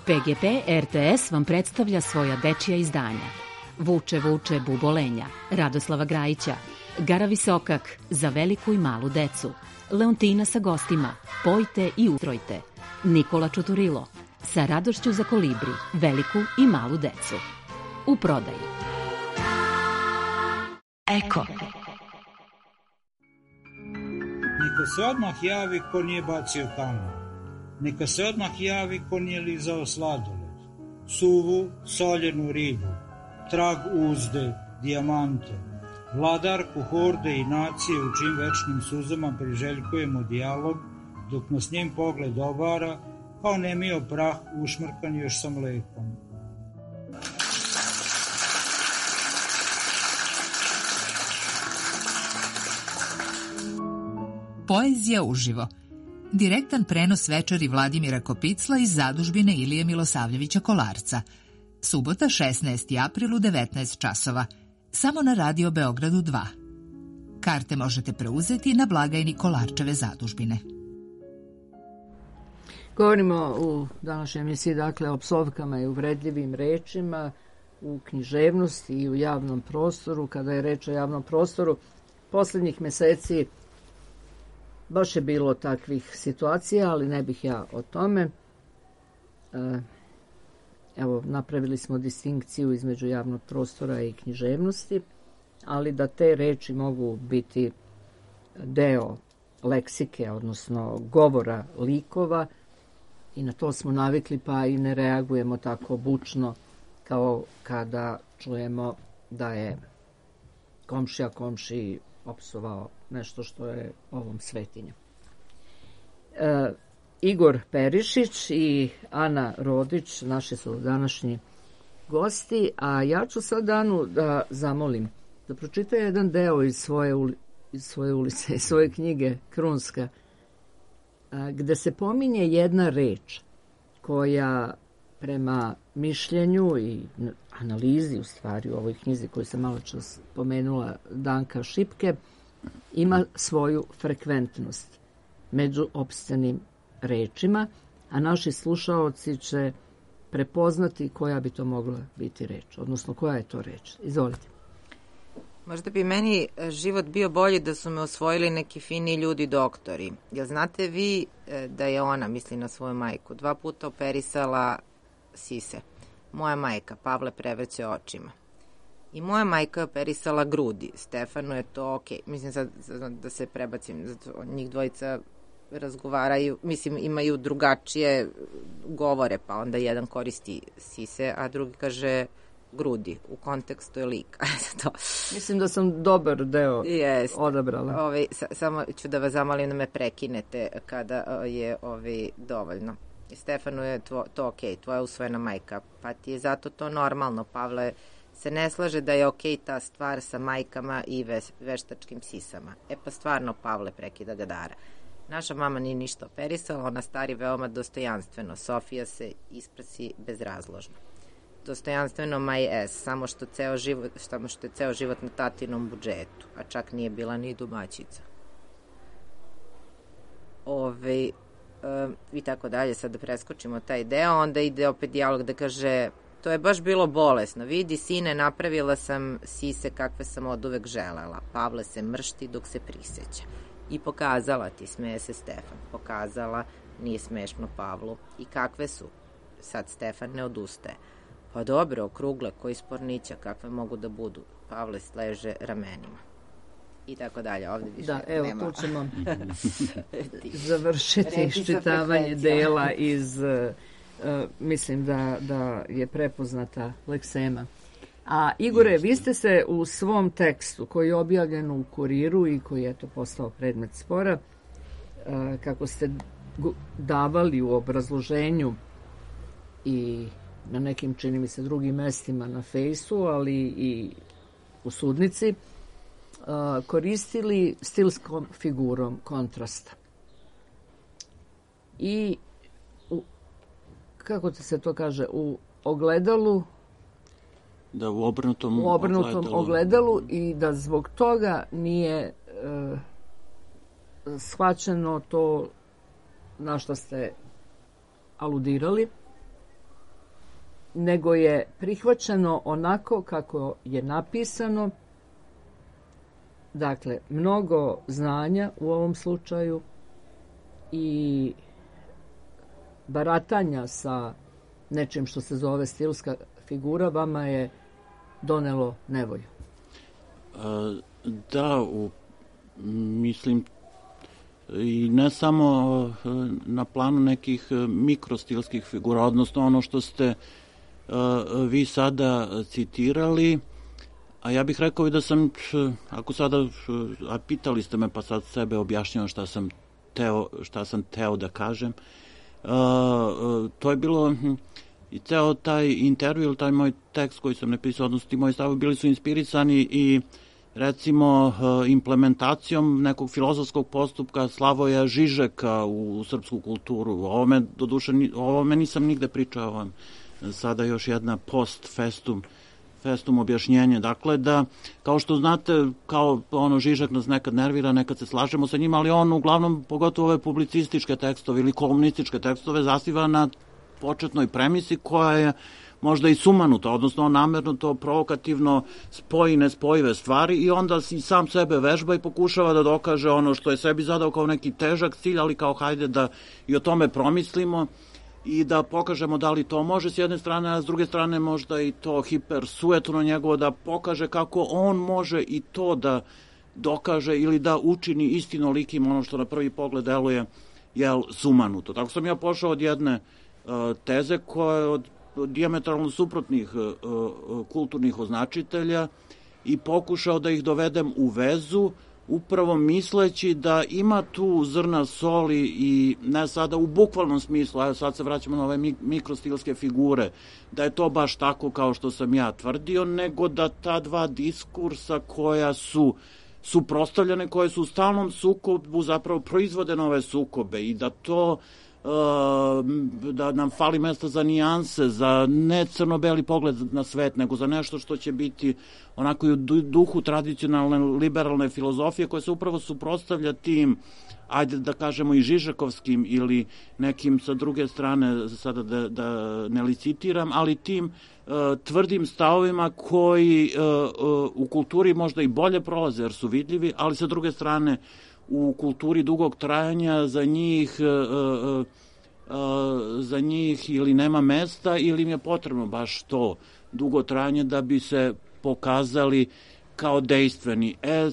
P G P R T S vam predstavlja svoja dečija izdanja. Vuče, vuče, bubolenja, Radoslava Grajića, Gara Visokak, za veliku i malu decu, Leontina sa gostima, Pojte i ustrojte, Nikola Čuturilo, sa radošću za kolibri, veliku i malu decu. U prodaji. Eko. Neka se odmah javi ko nije bacio kamen. Neka se odmah javi ko nije lizao sladoled. Suvu, soljenu ribu, trag uzde, dijamante, vladarku horde i nacije u čim večnim suzama priželjkujemo dijalog, dok nas njen pogled obara, kao nemio prah ušmrkan još sa mlekom. Poezija uživo. Direktan prenos večeri Vladimira Kopicla iz zadužbine Ilije Milosavljevića Kolarca. Subota šesnaesti april u devetnaest časova. Samo na Radio Beogradu dva. Karte možete preuzeti na blagajni Kolarčeve zadužbine. Govorimo u današnjoj emisiji dakle o psovkama i uvredljivim rečima u književnosti i u javnom prostoru. Kada je reč o javnom prostoru, posljednjih meseci baš je bilo takvih situacija, ali ne bih ja o tome. Evo, napravili smo distinkciju između javnog prostora i književnosti, ali da te reči mogu biti deo leksike, odnosno govora likova, i na to smo navikli, pa i ne reagujemo tako bučno kao kada čujemo da je komšija komšiji opsovao nešto što je ovom svetinju. E, Igor Perišić i Ana Rodić naši su današnji gosti, a ja ću sad Anu da zamolim da pročita jedan deo iz svoje, uli, iz svoje ulice, iz svoje knjige Krunska, a, gde se pominje jedna reč koja prema mišljenju i analizi u stvari u ovoj knjizi koju sam malo čas pomenula Danka Šipke, ima svoju frekventnost među opscenim rečima, a naši slušaoci će prepoznati koja bi to mogla biti reč, odnosno koja je to reč. Izvolite. Možda bi meni život bio bolji da su me osvojili neki fini ljudi doktori. Jel znate vi da je ona, misli na svoju majku, dva puta operisala sise? Moja majka, Pavle prevrće očima. I moja majka je operisala grudi. Stefanu je to ok. Mislim sad da se prebacim, zato njih dvojica razgovaraju, mislim imaju drugačije govore, pa onda jedan koristi sise, a drugi kaže grudi, u kontekstu je lika. to. Mislim da sam dobar deo Jest. odabrala. Ove, sa, samo ću da vas zamolim da me prekinete kada je ove, dovoljno. Stefanu je tvo, to ok, tvoja usvojena majka, pa ti je zato to normalno. Pavle se ne slaže da je ok ta stvar sa majkama i ve, veštačkim sisama. E pa stvarno, Pavle, prekida ga Dara. Naša mama nije ništa operisala, ona stari veoma dostojanstveno. Sofija se isprasi bezrazložno. Dostojanstveno my ass, samo što, ceo život, samo što je ceo život na tatinom budžetu, a čak nije bila ni domaćica. Ove, um, i tako dalje, sad da preskočimo taj deo, onda ide opet dijalog da kaže, to je baš bilo bolesno, vidi sine, napravila sam sise kakve sam od uvek želela. Pavle se mršti dok se priseća. I pokazala ti, smeje se Stefan, pokazala, nije smešno Pavlu. I kakve su? Sad Stefan ne odustaje. Pa dobro, okrugle, koji spornića, kakve mogu da budu? Pavle sleže ramenima. i tako dalje. Ovde više da, evo, nema. tu ćemo završiti iščitavanje dela iz, uh, mislim da, da je prepoznata leksema. A Igore, vi ste se u svom tekstu koji je objavljen u Kuriru i koji je to postao predmet spora, uh, kako ste davali u obrazloženju i na nekim, čini mi se, drugim mestima na fejsu, ali i u sudnici, koristili stilskom figurom kontrasta. I, u, kako se to kaže, u ogledalu, da u obrnutom, u obrnutom ogledalu. ogledalu i da zbog toga nije e, shvaćeno to na što ste aludirali, nego je prihvaćeno onako kako je napisano. Dakle, mnogo znanja u ovom slučaju i baratanja sa nečim što se zove stilska figura vama je donelo nevolju. A, da, u, mislim, i ne samo na planu nekih mikrostilskih figura, odnosno ono što ste vi sada citirali, a ja bih rekao i da sam, ako sada, a pitali ste me pa sad sebe objašnjavam šta sam teo, šta sam teo da kažem, to je bilo i ceo taj intervju, taj moj tekst koji sam napisao, odnosno ti moji stavovi bili su inspirisani i recimo implementacijom nekog filozofskog postupka Slavoja Žižeka u srpsku kulturu. O ovome, doduše, o ovome nisam nigde pričao, sada još jedna post festum festum objašnjenje. Dakle, da, kao što znate, kao ono, Žižek nas nekad nervira, nekad se slažemo sa njima, ali on uglavnom, pogotovo ove publicističke tekstove ili kolumnističke tekstove, zasniva na početnoj premisi koja je možda i sumanuta, odnosno on namerno to provokativno spoji nespojive stvari i onda i sam sebe vežba i pokušava da dokaže ono što je sebi zadao kao neki težak cilj, ali kao hajde da i o tome promislimo i da pokažemo da li to može s jedne strane, a s druge strane možda i to hipersuetno njegovo da pokaže kako on može i to da dokaže ili da učini istinolikim ono što na prvi pogled deluje jel, sumanuto. Tako sam ja pošao od jedne uh, teze koja je od, od dijametralno suprotnih uh, uh, kulturnih označitelja i pokušao da ih dovedem u vezu upravo misleći da ima tu zrna soli i ne sada u bukvalnom smislu, a sad se vraćamo na ove mikrostilske figure, da je to baš tako kao što sam ja tvrdio, nego da ta dva diskursa koja su suprotstavljene, koje su u stalnom sukobu zapravo proizvode nove sukobe i da to da nam fali mesta za nijanse, za ne crno-beli pogled na svet, nego za nešto što će biti onako i u duhu tradicionalne liberalne filozofije koja se upravo suprotstavlja tim, ajde da kažemo i žižakovskim ili nekim sa druge strane, sada da, da ne licitiram, ali tim uh, tvrdim stavovima koji uh, uh, u kulturi možda i bolje prolaze jer su vidljivi, ali sa druge strane u kulturi dugog trajanja za njih uh, uh, uh, za njih ili nema mesta ili im je potrebno baš to dugo trajanje da bi se pokazali kao dejstveni. E,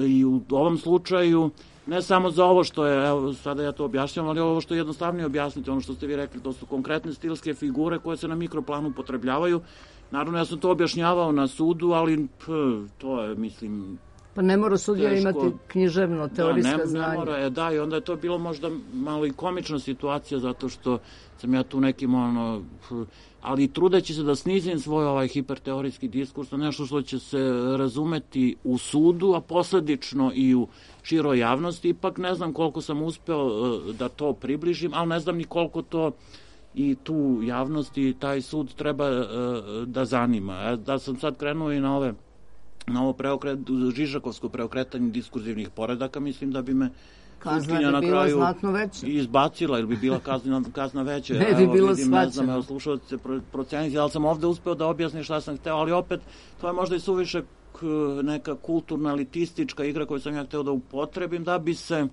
i u ovom slučaju ne samo za ovo što je, evo sada ja to objašnjam, ali ovo što je jednostavnije objasniti, ono što ste vi rekli, to su konkretne stilske figure koje se na mikroplanu upotrebljavaju. Naravno, ja sam to objašnjavao na sudu, ali p, to je, mislim, pa ne mora sudija teško imati književno, teorijska da, ne, znanja. Ne mora, je, da, i onda je to bilo možda malo i komična situacija, zato što sam ja tu nekim, ono, ali trudeći se da snizim svoj ovaj hiperteorijski diskurs na nešto što će se razumeti u sudu, a posledično i u široj javnosti, ipak ne znam koliko sam uspeo da to približim, ali ne znam ni koliko to i tu javnost i taj sud treba da zanima. Da sam sad krenuo i na ove na ovo preokret, žižakovsko preokretanje diskurzivnih poredaka, mislim da bi me kazna bi bila znatno veća. Izbacila, ili bi bila kazna, kazna veća. Ne bi bilo svačeno. Ne znam, evo slušalce proceniti, ali sam ovde uspeo da objasnim šta sam hteo, ali opet to je možda i suviše neka kulturna elitistička igra koju sam ja hteo da upotrebim, da bi se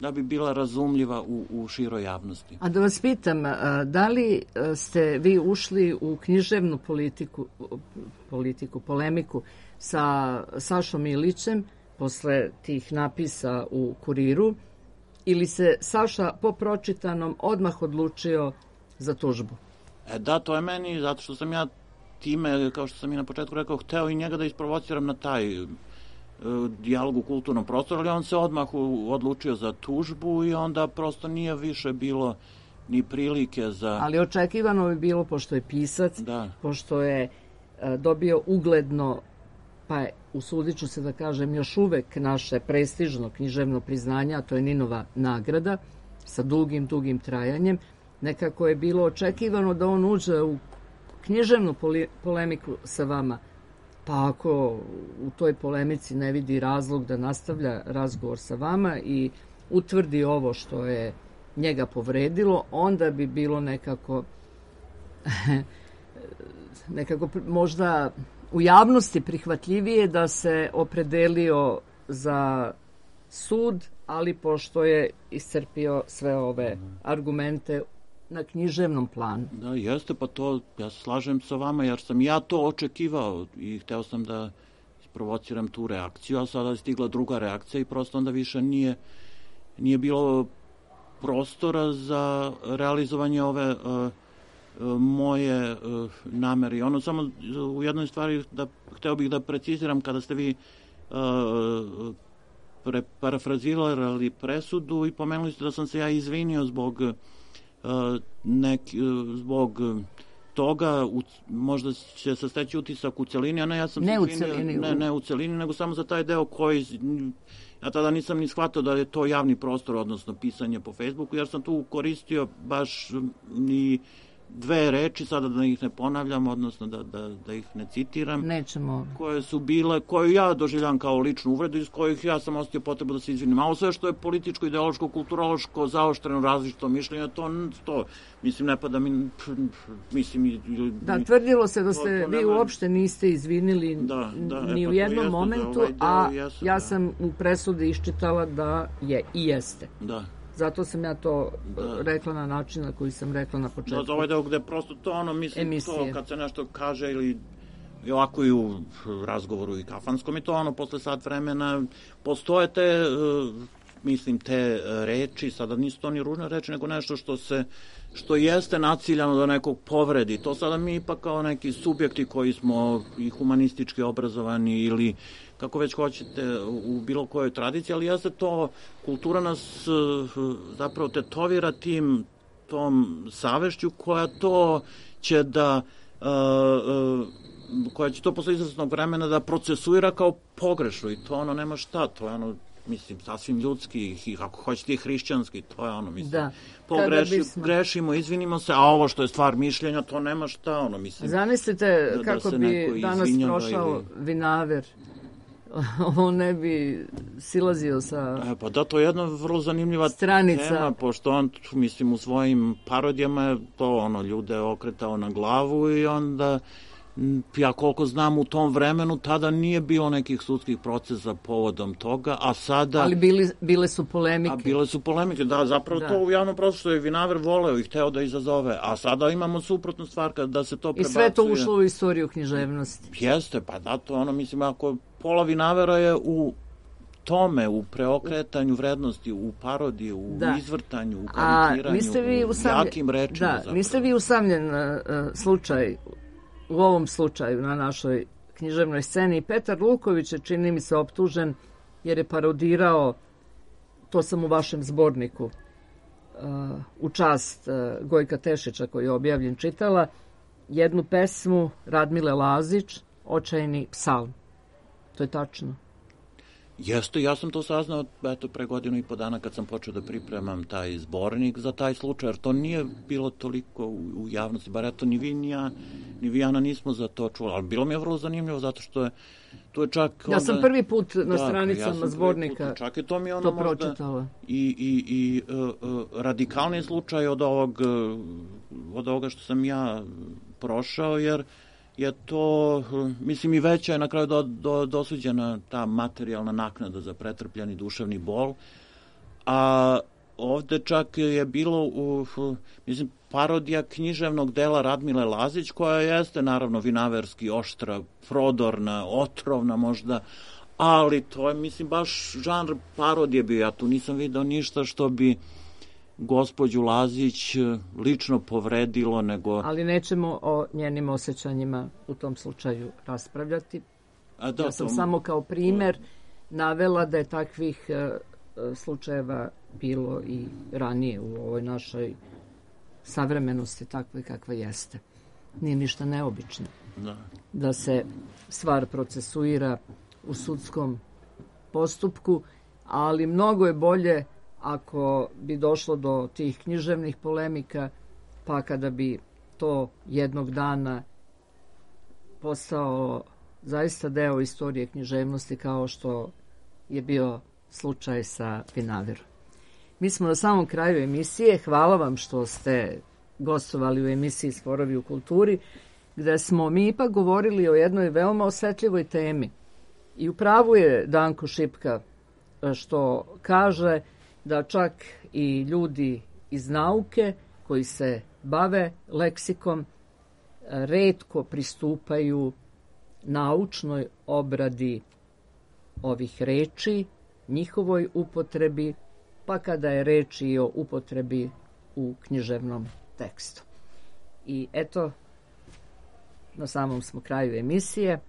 da bi bila razumljiva u, u široj javnosti. A da vas pitam, da li ste vi ušli u književnu politiku, politiku, polemiku sa Sašom Ilićem posle tih napisa u Kuriru, ili se Saša po pročitanom odmah odlučio za tužbu? E da, to je meni, zato što sam ja time, kao što sam i na početku rekao, hteo i njega da isprovociram na taj uh, dijalog u kulturnom prostoru, ali on se odmah u, odlučio za tužbu i onda prosto nije više bilo ni prilike za... Ali očekivano bi bilo, pošto je pisac, da. pošto je uh, dobio ugledno, pa je, usudit ću se da kažem, još uvek naše prestižno književno priznanje, a to je Ninova nagrada, sa dugim, dugim trajanjem. Nekako je bilo očekivano da on uđe u književnu polemiku sa vama, pa ako u toj polemici ne vidi razlog da nastavlja razgovor sa vama i utvrdi ovo što je njega povredilo, onda bi bilo nekako nekako možda u javnosti prihvatljivije da se opredelio za sud, ali pošto je iscrpio sve ove argumente na književnom planu. Da, jeste, pa to, ja se slažem sa vama, jer sam ja to očekivao i hteo sam da isprovociram tu reakciju, a sada je stigla druga reakcija i prosto onda više nije, nije bilo prostora za realizovanje ove uh, moje uh, namere. I ono samo u jednoj stvari da hteo bih da preciziram kada ste vi uh, pre, parafrazirali presudu i pomenuli ste da sam se ja izvinio zbog uh, neki, uh, zbog toga, u, možda će se steći utisak u celini, a ne, ja sam ne se u izvinio, celini, ne, ne u celini, nego samo za taj deo koji ja tada nisam ni shvatao da je to javni prostor, odnosno pisanje po Facebooku, jer sam tu koristio baš ni dve reči, sada da ih ne ponavljam, odnosno da, da, da ih ne citiram. Nećemo. Koje su bile, koje ja doživljam kao ličnu uvredu, iz kojih ja sam ostio potrebu da se izvinim. A ovo sve što je političko, ideološko, kulturološko, zaoštreno, različito mišljenje, to, to mislim, ne pada mi, mislim... Da, tvrdilo se da ste, to, to vi nema... uopšte niste izvinili da, da, ni e, pa u jednom jeste, momentu, ovaj a jesu, ja da. sam u presudi iščitala da je i jeste. Da. Zato sam ja to da. rekla na način na koji sam rekla na početku. Da, za ovaj deo gde prosto to ono, mislim, emisije. To kad se nešto kaže ili i ovako i u razgovoru i kafanskom i to ono, posle sat vremena postoje te, uh, mislim, te reči, sada nisu to ni ružne reči, nego nešto što se, što jeste naciljano da nekog povredi. To sada mi ipak kao neki subjekti koji smo i humanistički obrazovani ili kako već hoćete, u bilo kojoj tradiciji, ali jeste to, kultura nas zapravo tetovira tim, tom savešću koja to će da, koja će to posle izvesnog vremena da procesuira kao pogrešno i to ono nema šta, to je ono, mislim, sasvim ljudski i kako hoćete i hrišćanski, to je ono, mislim, da. pogreši, bismo... grešimo, izvinimo se, a ovo što je stvar mišljenja, to nema šta, ono, mislim. Zamislite da, kako da bi danas prošao ili... Vinaver, on ne bi silazio sa e, pa da, to je jedna vrlo zanimljiva stranica. Tema, pošto on, mislim, u svojim parodijama to, ono, ljude okretao na glavu i onda, ja koliko znam, u tom vremenu tada nije bilo nekih sudskih procesa povodom toga, a sada... Ali bili, bile su polemike. A bile su polemike, da, zapravo da. To u javnom prostoru je Vinaver voleo i hteo da izazove, a sada imamo suprotnu stvar kada se to prebacuje. I sve to ušlo u istoriju književnosti. Jeste, pa da, to ono, mislim, ako pola Vinavera je u tome, u preokretanju vrednosti, u parodiji, u da. izvrtanju, u karikiranju, u usamljen... jakim rečima. Da, zapravo. Niste vi usamljen uh, slučaj, u ovom slučaju na našoj književnoj sceni. Petar Luković je, čini mi se, optužen jer je parodirao, to sam u vašem zborniku, uh, u čast uh, Gojka Tešića koji je objavljen čitala, jednu pesmu Radmile Lazić, Očajni psalm. To je tačno. Jeste, ja sam to saznao eto, pre godinu i po dana kad sam počeo da pripremam taj zbornik za taj slučaj, jer to nije bilo toliko u, u javnosti, bar eto ni vi ni ja, ni vi Ana nismo za to čuli, ali bilo mi je vrlo zanimljivo zato što je tu je čak... Ja onda, sam prvi put na da, stranicama ja zbornika put, čak je to, mi ono to pročitala. I, i, i uh, uh, radikalni slučaj od ovog, uh, od ovoga što sam ja prošao, jer je to, mislim, i veća je na kraju do, do, dosuđena ta materijalna naknada za pretrpljeni duševni bol, a ovde čak je bilo, u, mislim, parodija književnog dela Radmile Lazić, koja jeste naravno vinaverski oštra, prodorna, otrovna možda, ali to je, mislim, baš žanr parodije bio. Ja tu nisam vidio ništa što bi gospođu Lazić lično povredilo, nego... Ali nećemo o njenim osjećanjima u tom slučaju raspravljati. A da, ja sam to... samo kao primer navela da je takvih uh, slučajeva bilo i ranije u ovoj našoj savremenosti takve kakva jeste. Nije ništa neobično. Da. Da se stvar procesuira u sudskom postupku, ali mnogo je bolje ako bi došlo do tih književnih polemika, pa kada bi to jednog dana postao zaista deo istorije književnosti kao što je bio slučaj sa Vinaverom. Mi smo na samom kraju emisije. Hvala vam što ste gostovali u emisiji Sporovi u kulturi, gde smo mi ipak govorili o jednoj veoma osetljivoj temi. I u pravu je Danko Šipka što kaže da čak i ljudi iz nauke koji se bave leksikom retko pristupaju naučnoj obradi ovih reči, njihovoj upotrebi, pa kada je reč i o upotrebi u književnom tekstu. I eto, na samom smo kraju emisije.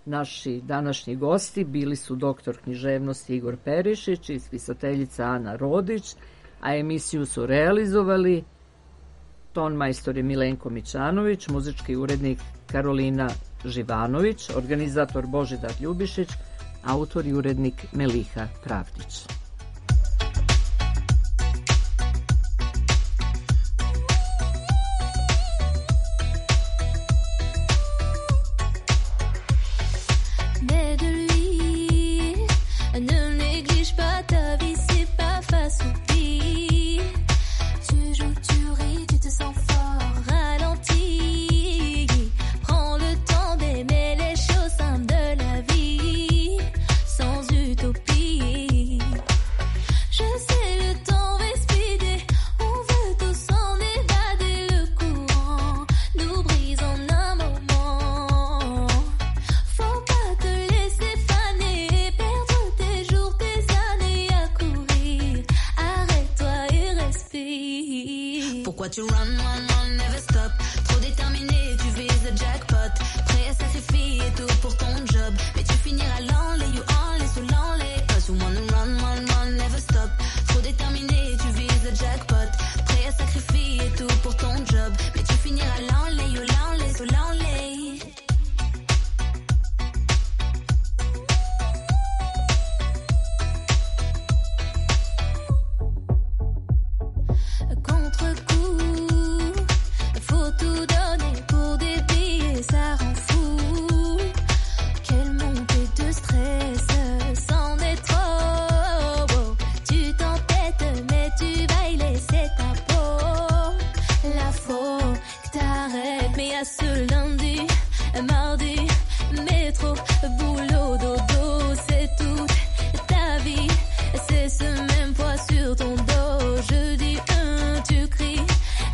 Naši današnji gosti bili su doktor književnosti Igor Perišić i spisateljica Ana Rodić, a emisiju su realizovali ton majstor Milenko Mićanović, muzički urednik Karolina Živanović, organizator Božidar Ljubišić, autor i urednik Meliha Pravdić. Tu run, run, run, never stop. Trop déterminé, tu vises le jackpot. Prêt à sacrifier tout pour ton job. Mais tu finiras l'enlay, you enlay, sous l'enlay. Cause you wanna run, run, run, never stop. Trop déterminé, tu vises le jackpot. Prêt à sacrifier tout pour ton job. Mais tu finiras l'enlay, you l'enlay, sous l'enlay. Ce lundi, mardi, métro, boulot, dodo, c'est toute ta vie, c'est ce même poids sur ton dos. Jeudi, un, tu cries,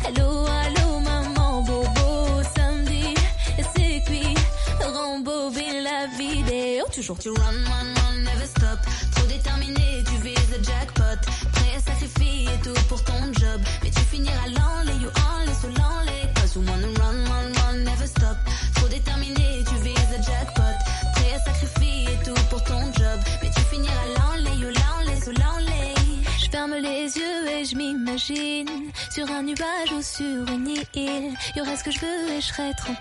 allô, allô, maman, bobo. Samedi, c'est cuit, rembobine la vidéo. Toujours tu run, run, run, never stop. Trop déterminé, tu vises le jackpot. Prêt à sacrifier tout pour ton job. Mais tu finiras l'enlay, you enlay, sous l'enlay. Cause you wanna run, run, run, never stop. Trop déterminé, tu vises le jackpot. Prêt à sacrifier tout pour ton job. Mais tu finiras l'enlay, you l'enlay, sous l'enlay. Je ferme les yeux et je m'imagine sur un nuage ou sur une île. Y aurait ce que je veux et je serai tranquille.